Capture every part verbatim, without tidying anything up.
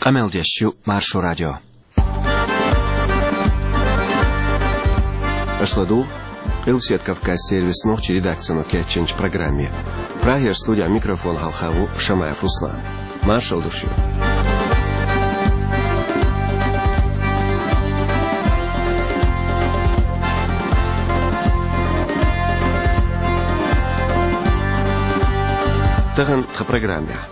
Къамел деш ю Маршо радио. Аша ладугӀу Къилбаседа Кавказан сервисан нохчийн редакцино кечйинчу программе. Прагера студехь микрофон хьалха ву Шамаев Руслан. Маршалла ду шуьга. Тахана тхан программехь.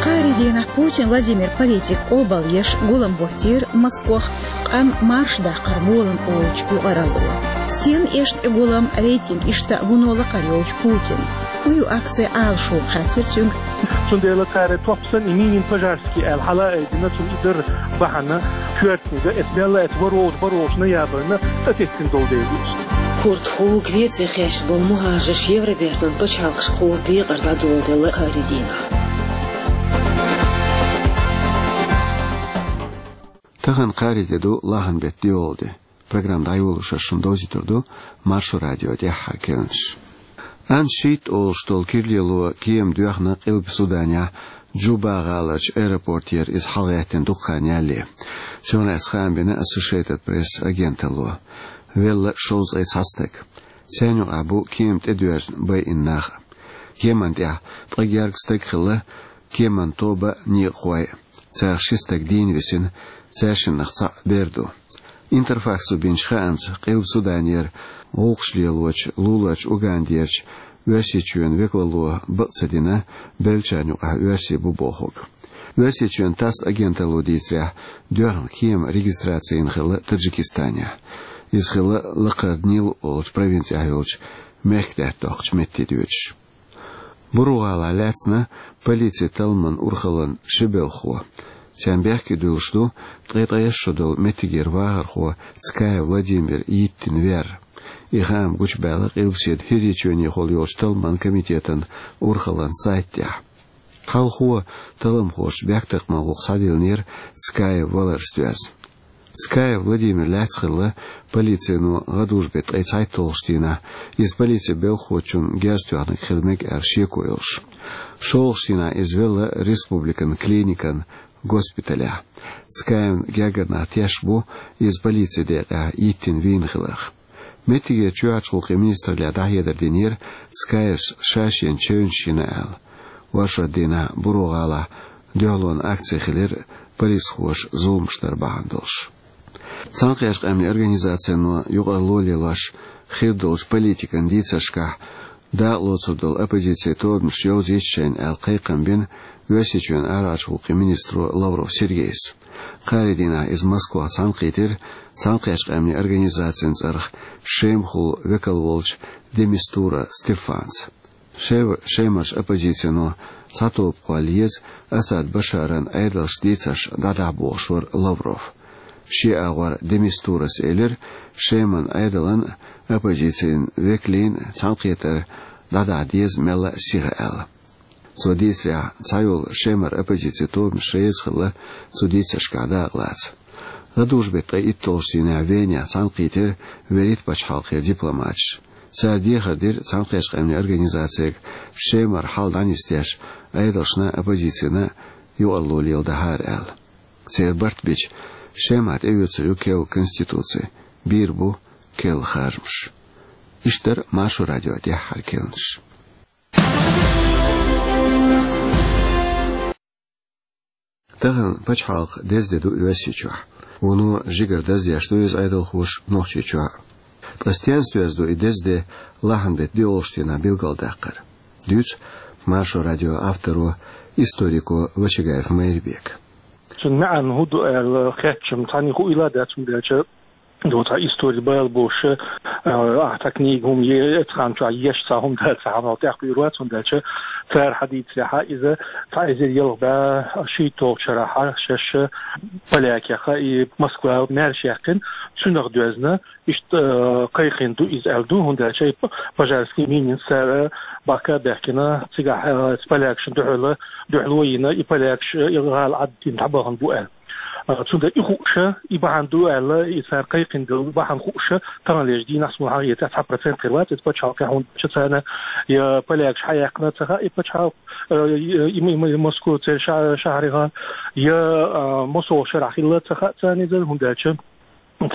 Кхаарин дийнахь Путин Владимира политика къобалъеш гулам боттийра Москвахь, къам марша даккхар болам олучу юкъаралло. Стенна эшна и гулам, рейтинг иштта а вуно лакхара йолчу Путина? ХӀун ю акци Ӏалашо, хаьттира цуьнга. Цундела цара топ санна и мини-пожарский аьлла хьала а айдина, цунна и дара бахьана, коьртаниг, эца мел а эца варволчу, барволчу ноябрьна тӀететтина долу дела ду иза. Курдахула Греце хьаьшна болу мухӀажарш Евробертан пачхьалкхашкахула декъар дӀадоладелла кхаарин дийнахь. Тахана кхаарин де ду, лахьан беттан доьалгӀа де. Программа дӀайолош ас шуна довзуьйтур ду Маршо радион тӀаьххьара керланаш. Ан шийтта олуш долу кира лело кема доьхна Къилба Суданехь, Джуба гӀаларчу аэропортера иза хьалагӀеттина дукха хан ялале. Цунах лаьцна хаам бина Associated Press агенталло. Велла шовзткъе цхьа стаг. Царна юкъахь бу кема тӀедоьжна байина нах а. Кеман тӀехь ткъе гергга стаг хилла, кеман тоба а, некъахой а. Царах ши стаг дийна висина, цаьршиннах цхьаъ бер ду. Интерфаксо бинчу хаамца, Къилба Суданера гӀуллакхаш лелочу луларчу Угандерчу Оьрсийчоьнан векалло бакъ ца дина, беллачарна юкъахь оьрсий бу бохург. Оьрсийчоьнан ТАСС агенталло дийцарехь, доьхна кема регистраци йина хилла Таджикистанехь. Иза хилла лакхара Нил олучу провинцехь йолчу мехкдаьтта доккхучу метте доьдуш. Буру-гӀалахь лаьцна полицин талламан урхаллин ши белхахо. Царна бехке дуьллуш ду ткъе ткъайесна шо долу меттигера вахархо Цкаев Владимир йиттина вер. И хаам гучубаьлла Къилбаседа ХӀирийчоьнехула йолчу талламан комитетан урхаллин сайта тӀехь. Хьалхо талламхоша бехктакхаман гӀуллакх схьадиллинера Цкаев валарца доьзна. Цкаев Владимир лаьцна хилла полицино гӀадужу беттан ткъе цхьайтталгӀачу дийнахь, иза полицин белхахочунна герз тоьхнарг хила мега аьлла шеко йолуш. ШолгӀачу дийнахь иза велла республикан клиникан госпиталехь. Цкаевн гергара нах тешна бу иза полицин декъехь йиттина вийна хиларх. Меттигерчу чоьхьарчу гӀуллакхийн министраллехь дӀахьедар динера Цкаевс ша шена чевнаш йина аьлла. Оршот дийнахь Буру-гӀалахь дуьхьалонан акци хилира полисхоша зуламаш дар бахьана долуш. Цхьаьнакхеттачу къаьмнийн организацино юкъаралло лелош хир долчу политикан дийцаршкахь дакъалоцур долу оппозицин тобанаш йовзийта шайна аьлла кхайкхам бина Оьрсийчоьнан арахьарчу гӀуллакхийн министро Лавров Сергейс. Кхаарин дийнахь иза Москвахь цхьаьнакхийтира Цхьаьнакхеттачу къаьмнийн организацин цӀарах Шемахула векал волчу де Мистура Стефанца. Шем-, Шемарчу оппозицино цхьа тоба кхолла еза Асад Башаран Ӏедалша дийцарш дӀадахьа бохуш вара Лавров. Шен агӀор де Мистурас элира, Шеман Ӏедалан а, оппозицин векалийн а цхьаьнакхетар дӀадахьа деза мелла а сиха аьлла. Цо дийцарехь, цхьайолу Шемара оппозицин тобанаш реза хилла цу дийцаршкахь дакъалаца. ГӀадужу беттан ткъе итталгӀачу дийнахь Венехь цхьаьнакхийтира Веритан пачхьалкхера дипломаташ. Цара дехар дира Цхьаьнакхеттачу къаьмнийн организацига Шемара хьал дӀанисдеш, Ӏедалшна а, оппозицина а юкъаралло леладахьара аьлла. Церан барт бича, Шемахь тӀеоьцур ю керла конституци, бийр бу керла харжамаш. Иштта дара Маршо радион тӀаьххьара керланаш. Тахана пачхьалкхан деза де ду Оьрсийчохь. Вуно жигара даздеш ду иза Ӏедалхоша Нохчийчохь а. Ткъа стенца доьзна ду и деза де лахьан беттан доьалгӀачу дийнахь билгалдаккхар? Дуьйцу Маршо радион авторо, историко Вачагаев Майрбека. Цуьнан маьӀна хӀун ду аьлла хеттачунна цхьанне хуийла дац, хӀунда аьлча ду цхьа истори бала болуш, а, ахьа цхьа книга хӀума е-, эцхьан чохь еш цхьа хӀума дац, цхьа хьанал тӀехь кхуьйр вац, хӀунда аьлча цара хьадийцарехьа иза цхьа эзар ялх бӀе шийтталгӀачу шарахь шаьш полякех и Москва маьрша яьккхина, цуьнах доьзна, иштта, а, кхайкхийна ду иза аьлла ду, хӀунда аьлча и п-, пожарский минин цара бахка а баьхкина, цигахь, а, полякашна дуьхьал, дуьхьало а йина, и полякаш, и гӀала Ӏаддина дӀабахана бу аьлла. А, цундела и хууш, и бахьана ду аьлла, и цара кхайкхина долу бахьана хууш, таханлерчу дийнахь суна хьахийца цхьа процент хир вац, иза пачхьалкхехь, хӀунда аьлча царна я полякаш хьаяьккхина ца хаьа и пачхьалкх, а, и, и, и, и Москва церан ша-, шахьарехь, я, а, массо а шарахь хилла ца хаьа царна иза, хӀунда аьлча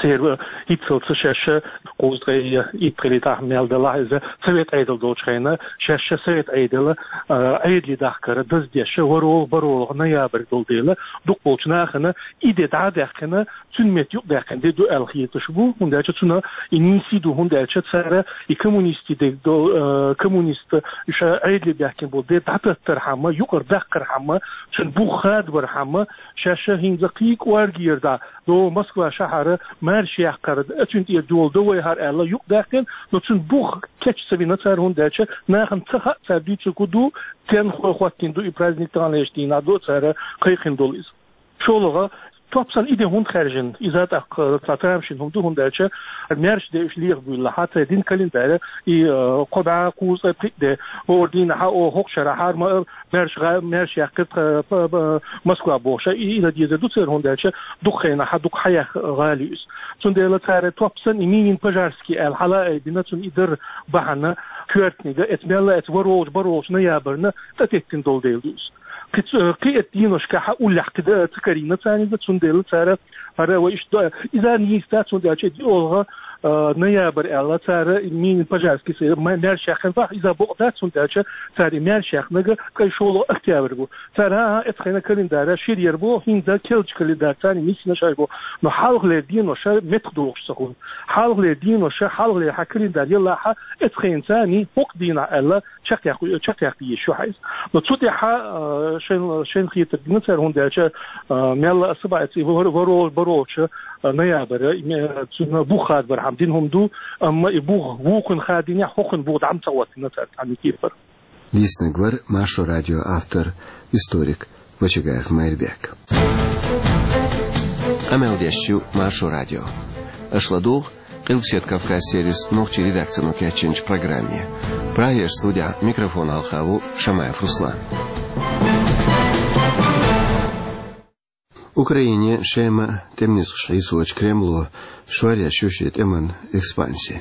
церан, а, хӀинццалц шаьш кхузткъе итт хилийтахь мел далахь иза, совет Ӏедал долчу хенахь, шаьш совет Ӏедал, а, Ӏедале дахкар даздеш, ворхӀалгӀа, бархӀалгӀа ноябрь долу дела, дукхахболчу нахана и де дӀа а даьккхина, цуьнан метта юкъадаьккхина де ду аьлла хеташ бу, хӀунда аьлча цунах и нийса ду, хӀунда аьлча цара и коммунистийн де до-, а, коммунист ша Ӏедале баьхкина болу де дӀататтархьама, юкъара даккхархьама, цуьнан бух хадабархьама, шаьш хӀинца кхин а кӀоргера дӀа, до Москва шахьара маьрша яккхар, а, цуьнан тӀера дола до вай хӀара аьлла юкъадаьккхина, но цуьнан бух кечъян ца вина цара, хӀунда аьлча нахана ца хаьа цара дуьйцург хӀун ду, стенна хӀоттийна ду и праздник, таханлерчу дийнахь ду цара кхайкхина долу иза. ШолгӀа, топ санна и де хӀунда хаьржина, иза тӀаккха цхьа тамашийна хӀума ду, хӀунда аьлча маьрша де уьш леха буьйлалахь, цара дина календарь, и, а, кхо бӀе кхузткъе пхиъ де, хӀора дийнахь, о, хӀокху шарахь хӀара ма-, маьрша гӀа-, маьрша яьккхира тха, п-, п-, Москва бохуш, и, и дан дезар ду церан, хӀунда аьлча дукха хенахь дукха хьаеха гӀала ю иза. Цундела цара топ санна и Минин-Пожарский аьлла хьала а айбина, цунна и дар бахьана коьртаниг, эца мелла а эца ворхӀалгӀачу, бархӀалгӀачу ноябрьна тӀететтина долу дела ду иза. Кхин ц-, кхин а эцу деношкахь уллехь кхин дан ца карийна царна иза, цундела цара хӀара вай иштта до-, иза нийса дац, хӀунда аьлча и диъолгӀа, а, ноябрь аьлла цара Минин-Пожарский са ма-, маьрша яьккхина боху, иза бакъ дац, хӀунда аьлча цара и маьрша яьккхинарг кхин шолгӀа октябрь бу. Цара, хӀан-хӀа, эцу хенахь календарь шира яр бу, хӀинца керлачу календарь царна миссина шаьш бу, но хьалхалера денош меттах дохуш ца хуьлу. Хьалхалера денош, хьалхалера хьан календарь ялахь, эцу хенахь царна хӀокху дийнахь аьлла, чекхъяккха, чекхъяккха йиш ю хьайса. Но цу тӀехь, а, шайн, шайн хетарг дина цара, хӀунда аьлча, а, мелла а са баьцци вор-, ворхӀалгӀа, бархӀалгӀачу, а, ноябрь, и ме-, цуьнан бух хадабархьама дина хӀума ду, амма и бух вукхунна хадийнехь, хӀокхунна бух дӀа ма ца хӀоттийна цара цхьа а кепара. Лийцинарг вара Маршо радион автор, историк Вачагаев Майрбек. Къамел деш ю Маршо радио. Аша ладугӀу Къилбаседа Кавказ сервисан нохчийн редакцино кечйинчу программе. Прагера студехь микрофон хьалха ву Шамаев Руслан. Украине шеман тӀеман низкъаш хьийсочу Кремло шоръеш ю шен тӀеман экспанси.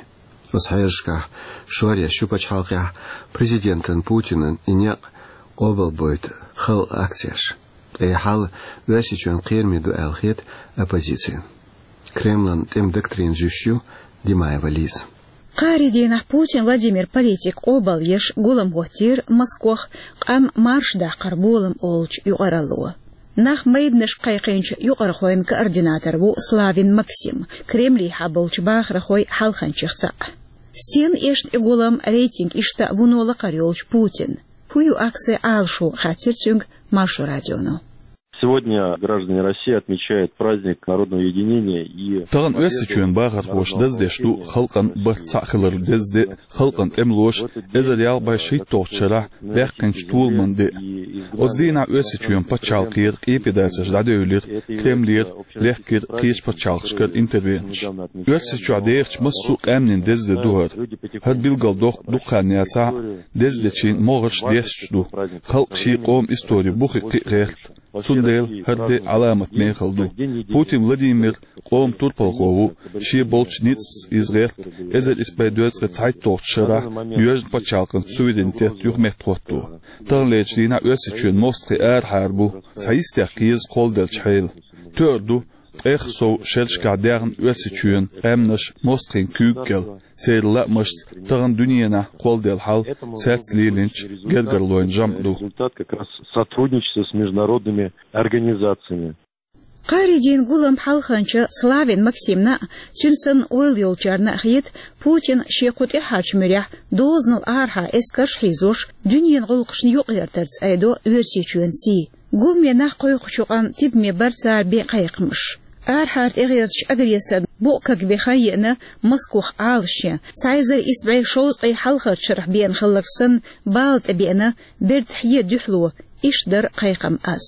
Оцу хьерашкахь шоръеш ю пачхьалкхехь президентан Путинан и некъ къобалбойта халкъан акцеш. Ткъа и хьал Оьрсийчоьнан кхераме ду аьлла хета оппозицина. Кремлан тӀеман доктрина зуьйш ю Димаева Лиза. Кхаарин дийнахь Путин Владимир политик къобалъеш гулам хӀоттийра Москох къам марша даккхар болам олучу юкъаралло. Нах майданашка кхайкхинчу юкъархойн координатор ву Славин Максим, Кремлехь болчу бахархойн хьалханчех цхьаъ. Стенна эшна и гулам, рейтинг иштта вуно лакхара йолчу Путинан? ХӀун ю акцин Ӏалашо, хаьттира цуьнга Маршо радионо. Сегодня граждане России отмечают праздник народного единения и Тахана Оьрсийчоьнан бахархоша даздеш ду халкъан барт цхьаъ хиларан деза де, халкъан тӀемалоша эзар ялх бӀе шийтталгӀачу шарахь баьккхинчу толаман де. Оцу дийнахь Оьрсийчоьнан пачхьалкхера къепедацеш дӀадевлира Кремлера, лехкира кхечу пачхьалкхашкара интервенцеш. Оьрсийчохь дехачу массо а къаьмнийн деза де ду хӀара. ХӀара билгалдоккху дукха хан яцахь а, деза дечийн могӀарш десташ ду. Халкъ шен къоман историн бухе кхин а гӀерта. Цундела хӀара де Ӏаламат мехала ду. Путин Владимир къоман турпалхо ву, шен болчу ницкъаца иза гӀерта, эзар исс бӀе дезткъе цхьайтталгӀачу шарахь Юьржин пачхьалкхан суверенитет юха меттахӀотто. Таханлерчу дийнахь Оьрсийчоьнан мостагӀий арахьара бу, цхьа йистех кхеза кхолладелчу хьелан. Тоьар ду, ткъех сов шерашкахь даьхна Оьрсийчоьнан къаьмнаш мостагӀийн куьйга кӀел, церан лаамашца тахана дуьненахь кхолладелла хьал цаьрца лелийначу гергарлойн жамӀ ду. Результат как раз сотрудничества с международными организациями. Кхаарин дийнан гулам хьалханча Славин Максимна а, цуьнан санна ойла йолчарна а хета, Путина шен кху тӀаьхьарчу муьрехь дозанал арахьа эскарш а хьийзош, дуьненан гӀуллакхашна юкъагӀертарца айдо Оьрсийчоьнан сий. Гуламе нах кхойкхучу къан тидаме бара цара бен кхайкхамаш. Арахьара тӀегӀертачу агрессорна букъ кагбен хан еана Москох Ӏалашъян, цхьа эзар исс бӀе шовзткъе хьалхарчу шарахь беана хилларг санна, бала тӀебеана берда хье дуьхьало, иштта дара кхайкхам аз.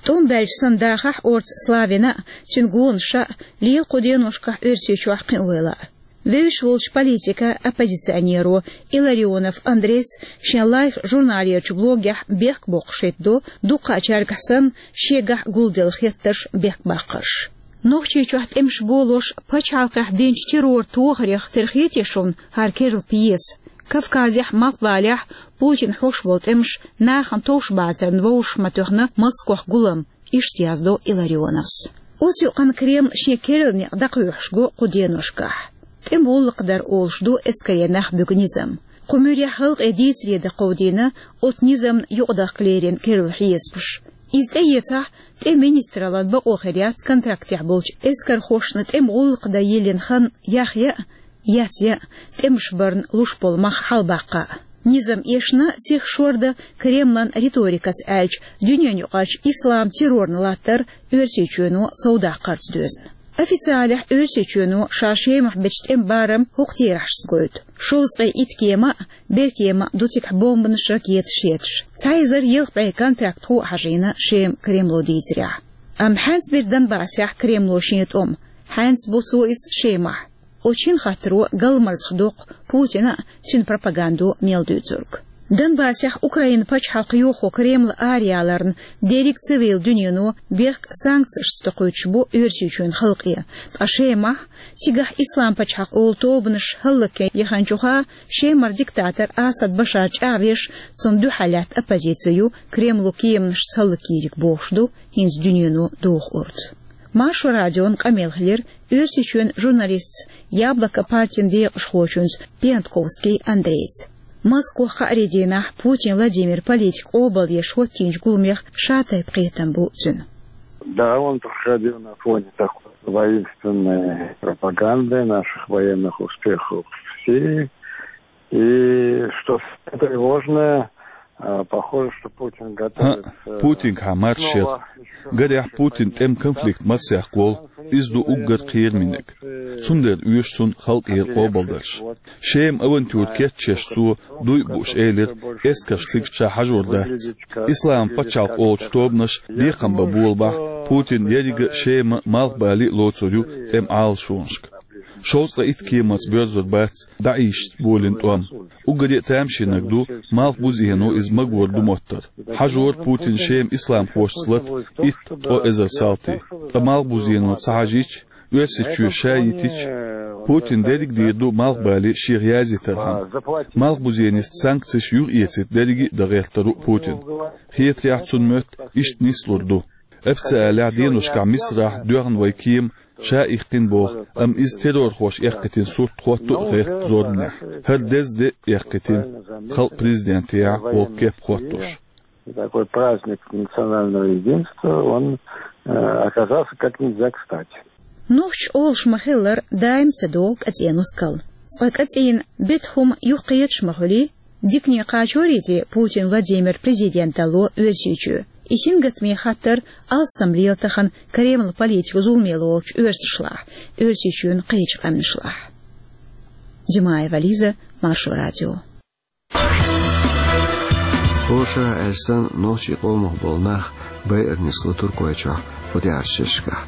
ТӀом баьлча санна дахахь орца Славина а, цуьнан гонаша а, лела кху деношкахь Оьрсийчохь кхиавелла а. Вевзаш волча политика оппозиционеро Илларионов Андрейс шен Life журналерчу блогехь бехк боккхуш хӀиттадо, дуккхачаьргахь санна, шегахь гулделла хеттарш, бехк баккхарш. Нохчийчохь тӀемаш болош пачхьалкхехь динчу террор тохарех тера хетий шуна хӀара керла пьеса? Кавказехь, малхбалехь Путина хьош болу тӀемаш нахана товш бацарна вовшах ма тоьхна Москох гулам, иштта яздо Илларионовс. Оцу юкъана Кремль шен керла некъ дӀакхоьхьуш го кху деношкахь. ТӀеман гӀуллакх дар олуш ду эскаре нах буьгу низам. Кху муьрехь халкъе дийцаре дан кховдийна оцу низамна юкъадахка лерина керла хьесапаш. Иза тӀеэцахь, тӀеман министраллан бакъо хир яц контрактехь болчу эскархошна тӀеман гӀуллакх дан йиллина хан яхъян а, яцъян а, тӀемаш барна луш болу мах хьалабаккха а. Низам эшна, сиха шордан, Кремлан риторикаца аьлча, дуьненаюкъарчу ислам террорна латтар Оьрсийчоьно совдаккхарца доьзна. Официалехь Оьрсийчоьно ша Шемахь бечу тӀеман барам хӀокху терахьашца гойту: шовзткъе итт кема а, беркема а ду цигахь бомбанаш, ракеташ етташ. Цхьа эзар ялх бӀе контрактхо а хьажийна Шема Кремло дийцарехь. Амма хьаьнца бира Донбассехь Кремло шен тӀом, хьаьнца бу цо иза Шемахь. Оцу шина хаттаро галмазах доккху Путина а, цуьнан пропагандо мел дуьйцург. Донбассехь Украинан пачхьалкх йохо Кремлан араяьлларна дерриг цивил дуьнено бехк санкцешца тӀекхуьйсуш бу Оьрсийчоьнан халкъе, ткъа Шемахь, цигахь Ислам пачхьалкх олу тобанаш хӀаллакьян яханчуха, Шемара диктатор Асад Башар чӀагӀвеш, цунна дуьхьал лаьтта оппозици ю Кремло кеманашца хӀаллакйийриг бохуш ду хӀинца дуьнено доху урс. Маршо радион къамел хилира Оьрсийчоьнан журналистца, Яблоко партин декъашхочуьнца Пиантковский Андрейца. Москох кхаарин дийнахь Путин Владимир политик къобалдеш хӀоттийначу гуламех шатайпа кхетам бу цуьнан. Да, он проходил на фоне такой воинственной пропаганды наших военных успехов в Сирии. И что самое тревожное, а, похоже, что Путин готовится, э, снова ещё... ХӀаъ, Путинга хьан марша яра. Гарехь, Путин тӀеман конфликт марсехь волу, иза ду уггар кхерамниг. Цундела оьшу цунна халкъера къобалдарш. Шеман авантюра кечъеш цо, дуй а бууш, элира, эскарш цига ша хьажор дац. Ислам пачхьалкх олучу тобанаш бекхам бан болабахь, Путин еррига а Шема а, малхбале а лоцур ю тӀеман Ӏалашонашка. Шовзткъе итт кеманца боьрзур бац ДАИШца болийна тӀом. Уггаре а тамашийнарг ду, малхбузено иза магор ду моттар. Хьажора Путина Шема исламхошца лата итт-ткъа эзар салти. Ткъа малхбузено ца хьажийча, Оьрсийчоь ша йитича, Путина дерриг а дийр ду малхбале шех язйитархьама. Малхбузенеца санкцеш юхаэцийта дерриге а дан гӀертар ву Путина. Хетарехь, цунна моьтту иштта нислур ду. Официалехь деношкахь Мисарахь доьхна вай кема, ша иккхина боху, амма иза террорхоша эккхийтина сурт хотту а гӀерта зорбанехь. ХӀара деза де а эккхийтина, халкъан президентехь волу кеп хоттуш. И такой праздник национального единства, он, э, оказался как нельзя кстати. Нохчаша олуш ма-хиллара, даим ца догӀу кӀацӀен нускал. Цкъа кӀацӀийна бета хӀума юхакхеташ ма хуьлий, дикане кхачорий те Путин Владимир президенталло Оьрсийчоь? И сингаттаме хаттар алссам лела тахана Кремлан политикан зуламе лоручу оьрсашлахь, Оьрсийчоьнан кхечу къаьмнашлахь. Димаева Лиза, Маршо радио. Оша аьлла санна, нохчийн къомах болу нах байъар нисло Туркойчохь кху тӀаьхьарчу шерашкахь.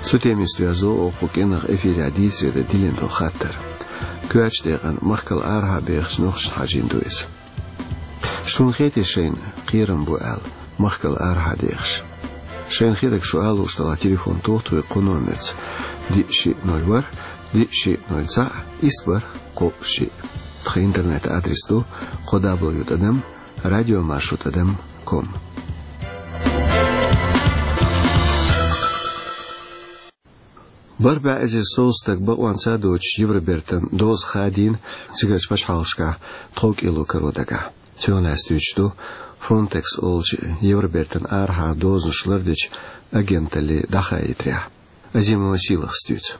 Цу темиста доьзна оха кху кӀиранах эфирехь дийцаре дан диллина долу хаттар. Коьртачу декъана махкал арахьа бехачу нохчашна хьажийна ду иза. Шуна хетий шайна кхерам бу аьлла, махкал арахьа дехаш? Шайна хетарг шу ала лууш делахь, телефон тоха тхуьга кху номерца: диъ шиъ ноль ворхӀ, диъ шиъ ноль цхьаъ, исс бархӀ кхоъ шиъ. Тхан интернет-адрес ду: кхо дабл ю тӀадам радиомаршо тӀадам ком. БархӀ бӀе эзар сов стаг бакъонца доцуш Евробертан доза хадийна цигарчу пачхьалкхашкахь тховкӀело каро дагахь. Цунах лаьцна дуьйцуш ду Фронтекс олучу Евробертан арахьара дозанаш лардечу агенталле дӀахаийтарехь. Азимова Сийлахас дуьйцу.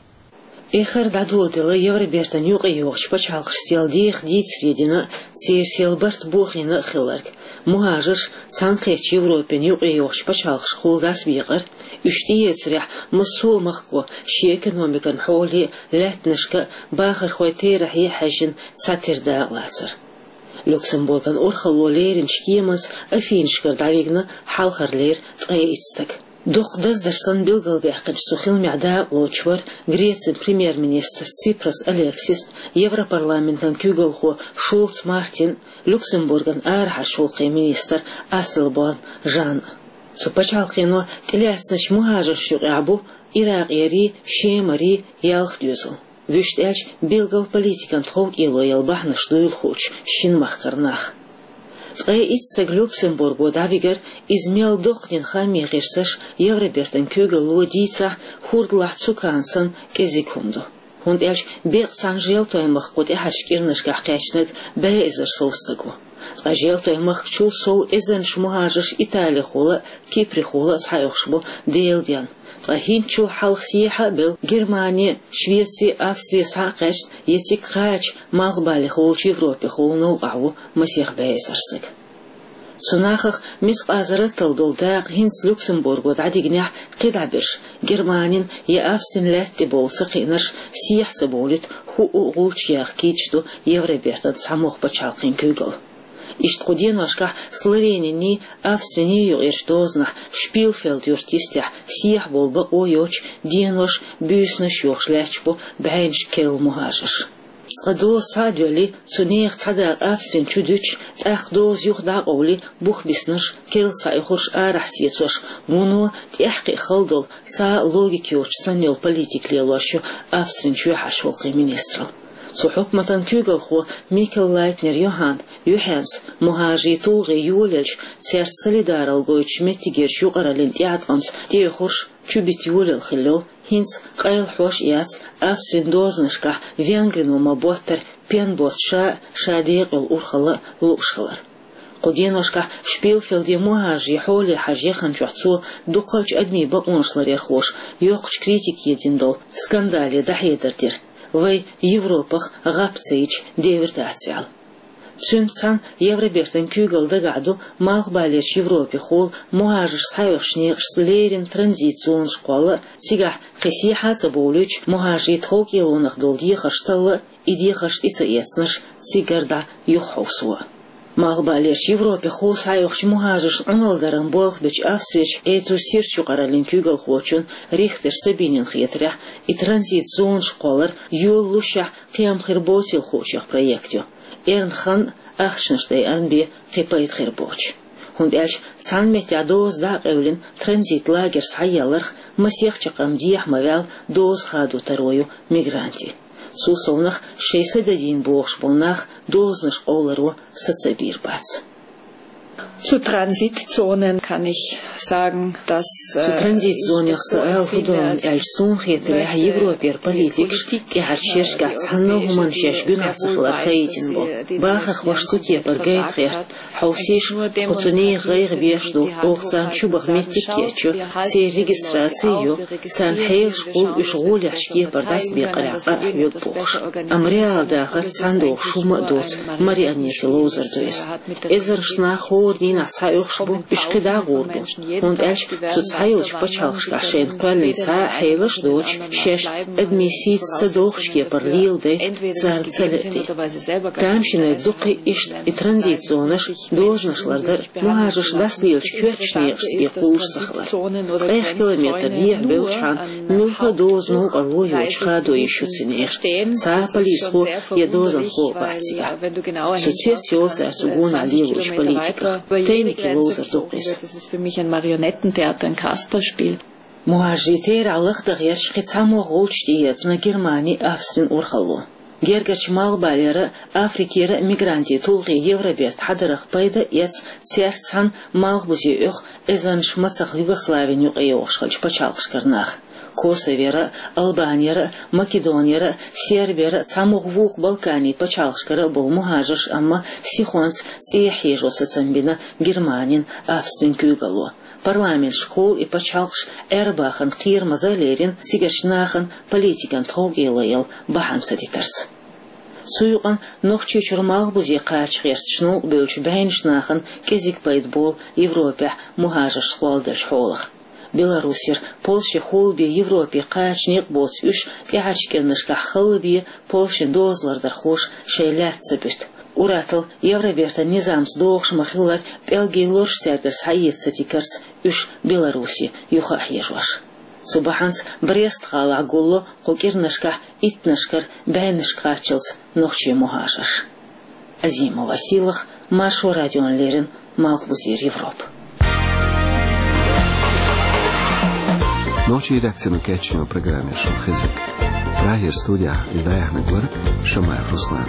Эххар дӀадоладелла Евробертан юкъайогӀучу пачхьалкхашца сел деха дийцаре дина, церан сел барт бохийна а хилларг. Мухажарш цхьаьнакхеттачу Европин юкъайогӀучу пачхьалкхашкахула дӀасабекъар, уьш тӀеэцарехь массо а махко шен экономикан хьоле а, лаьттанашка а, бахархойн терахье а хьаьжжина цхьатера дакъа лацар. Люксембурган урхалло леринчу кеманца Афинашкара дӀавигна хьалхарлера ткъе итт стаг. Дукха даздар санна билгалбаьккхинчу цу хиламехь дакъалоцуш вара Грецин премьер-министр Ципрас Алексис, Европарламентан куьйгалхо Шулц Мартин, Люксембурган арахьарчу гӀуллакхийн министр Асселборн Жан. Цу пачхьалкхено тӀелаьцначу мухӀажаршна юкъахь бу иракъерий, шемарий, ялх доьзал. Вуьшта аьлча, билггал политикан тховкӀело яла бахьанаш дуйла хуучу шина махкара нах. Ткъе итт стаг Люксембурго дӀавигар, иза мел доккха дина хааман гӀирсаш Евробертан куьйгалло дийцахь, хӀордалахь цукана санна кӀезиг хӀума ду. ХӀунда аьлча беккъа цхьана желтойн махко тӀаьхьарчу кӀирнашкахь кхаьчнарг бӀе эзар сов стаг ву. Ткъа желтойн махкачул сов эзарнаш мухӀажарш италихула а, киприхула а схьаоьхуш бу Делан денна. Ткъа хӀинцачул хьалха сехьа а белла, Германи, Швеци, Австри схьа а кхаьчна, я цига кхача, малхбалехула Европехула новкъахь ву масех бӀе эзар стаг. Цу нахах мискъазарраттал долу дакъа хӀинца Люксембурго дӀадигнехь, кхидӀа берш, Германин я Австрин лаьтта тӀе бовла ца кхиънарш, сехьа ца бовлийта, хӀуъу а гӀулч яха кийча ду Евробертан цхьамогӀа пачхьалкхийн куьйгалла. Иштта кху деношкахь Словениний, Австриний юкъерчу дозанахь Шпилфелд юрт йистехь сехьа бовла бакъо йоцуш денош, буьйсанаш йохуш лаьтташ бу бӀеннаш керла мухӀажарш. Цкъа доза схьа а доьллий, цу нехан цхьа дакъа Австрин чу дуьтуш, тӀаккха доза юха дӀа а къовлий, бух биснарш, керла схьаоьхурш арахь сецош, вуно тӀаьхьакхиа хала долу, цхьа а логика йоцуш санна йолу политика лелош ю Австрин чоьхьарчу гӀуллакхийн министралла. Цу хьукматан куьйгалхо Микел Лайтнер Йоханна юьхьенца мухӀажарийн тулгӀе йолаелча, цаьрца солидаралла гойтучу меттигерчу юкъараллин тӀеӀаткъамца тӀеоьхурш чубита йолаелла хилла йолу, хӀинца къайлахьош а яц, Австрин дозанашкахь Венгрино ма-боттара пен боцу ша а, ша декъа йолу урхалла а лууш хилар. Кху деношкахь Шпилфелде мухӀажарийн хьоле хьажа яханчохь цо дукхачу адамийн бакъонаш ларъярхоша йоккхачу критике дина долу скандале дӀахьедар дира, вай Европах гӀап ца йича девр дац аьлла. Цуьнца цхьаьна Евробертан куьйгалла дагахь ду Малхбалерчу Европехула мухӀажарш схьаоьхучу некъашца леррина транзит зонаш кхолла а, цигахь кхин сехьа а ца бовлуьйтуш мухӀажарийн тховкӀелонах долу дехарш талла а, и дехарш тӀе ца эцнарш цигара дӀа юхахьовсо а. Малхбалерчу Европехула схьаоьхучу мухӀажаршна Ӏуналла даран болх бечу Австрерчу Этрусирчу юкъараллин куьйгалхочун Рихтер Сабинин хетарехь, и транзит зонаш кхоллар йолалушехь кхин хир боцийла хуучех проект ю. Эрна хан а, ахчанаш дайарна бен кхин пайда хир боцуш. ХӀунда аьлча цхьана меттехь доза дӀа а къевлина, транзит лагерь схьаелларх масех чаккхарма дехьа ма ваьлла доза хадо таро ю мигрантийн. Цул совнаха шайн са дадийна бохуш болу нах дозанаш къовларо са ца бийр бац. Zu Transitzonen kann ich sagen, dass Цу транзит зонех сан ала хӀун ду аьлча, суна хетарехь, Европера политикаш тӀаьхьарчу шерашкахь цхьанна а хӀуманна шаьш гуьнахь ца хилар хаийтина бу. Бахархошна цу кепара гайта гӀерта, хьовсийша, кху цу нехан гӀайгӀа беш ду, оха царна чубаха меттиг а кечйо, церан регистраци а йо, царна хьелаш хуьлу уьш гӀолехьчу кепара дӀасабекъарехь къа а хьоьгу бохуш. Амма реал дахар цхьаьна догӀуш хӀума а доцу марионетийн ловзар ду иза. Эзарнаш нах хӀора дийнахь схьаоьхуш бу, уьш кхидӀа а гӀур бу, хӀунда аьлча цу цхьайолчу пачхьалкхашкахь шайна кхоьллина цхьа а хьелаш а доцуш, шаьш адамийн сийца ца догӀучу кепара леладайта царна ца лаьа де. Тамашийна дуккха а иштта и транзит зонаш, дозанаш лардар а, мухӀажарш дӀасалелачу коьртачу некъашца бен кхуллуш ца хилар. Ткъех километр дехьа бевлчхьана муьлхха а доза новкъарло йоцуш хадо йиш ю цу нехан. Цхьа а полисхо я дозанхо а бац цигахь. Со цец йолу цара цу гонахь лелочу политиках. Тайники ловзар ду-кх иза. Das ist für mich ein Marionettentheater, ein Kasperlspiel. МухӀажарийн терахь лахдаха гӀерташ кхин цхьа могӀа гӀулч тӀеэцна Германи, Австрин урхалло. Гергарчу Малхбалера а, Африкера а мигрантийн тулгӀе Евроберта хьадарах пайда а эцна цаьрца цхьаьна малхбузе оьху эзарнаш мацах Югославин юкъайогӀуш хиллачу пачхьалкхашкара нах. Косовера а, Албанера а, Македонера а, Сербера а, цхьа могӀа вукху Балканийн пачхьалкхашкара а болу мухӀажарш амма сихонца цӀехьа хьежо сацам бина Германин, Австрин куьйгалло. Парламенташкахула и пачхьалкхаш Ӏер-бахарна кхерамаза а лерина, цигарчу нахана политикан тховкӀело яла бахьана ца дитарца. Цу юкъана Нохчийчуьра малхбузе кхача гӀерташ новкъабевллачу бӀеннаш нахана кӀезиг пайда болу Европехь мухӀажарш кхолладелчу хьолах. Беларусера, Польшехула бен Европе кхача некъ боцу уьш тӀаьхьарчу кӀирнашкахь халла бен Польшин дозалардархоша шайн лаьтта ца буьту. Уратал Евробертан низамца догӀуш ма-хиллара, пӀелгийн лурш цаьргара схьаэца ца тигарца уьш Беларусе юха а хьежош. Цу бахьанца Брест-гӀалахь гулло кху кӀирнашкахь иттаннашкара бӀеннашка кхаччалц нохчийн мухӀажарш. Азимова Сийлаха, Маршо радиона леррина, Малхбузера Европа. Нохчийн редакцино кечйина программа яра шуна хезарг. Прагера студехь и дӀаяьхьнарг вара Шамаев Руслан.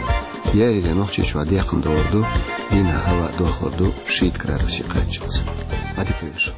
Яйире Нохчийчохь декхна догӀур ду, дийнахь хӀаваъ дохлур ду шийтта градусе кхаччалц. Ӏадика йойла шун.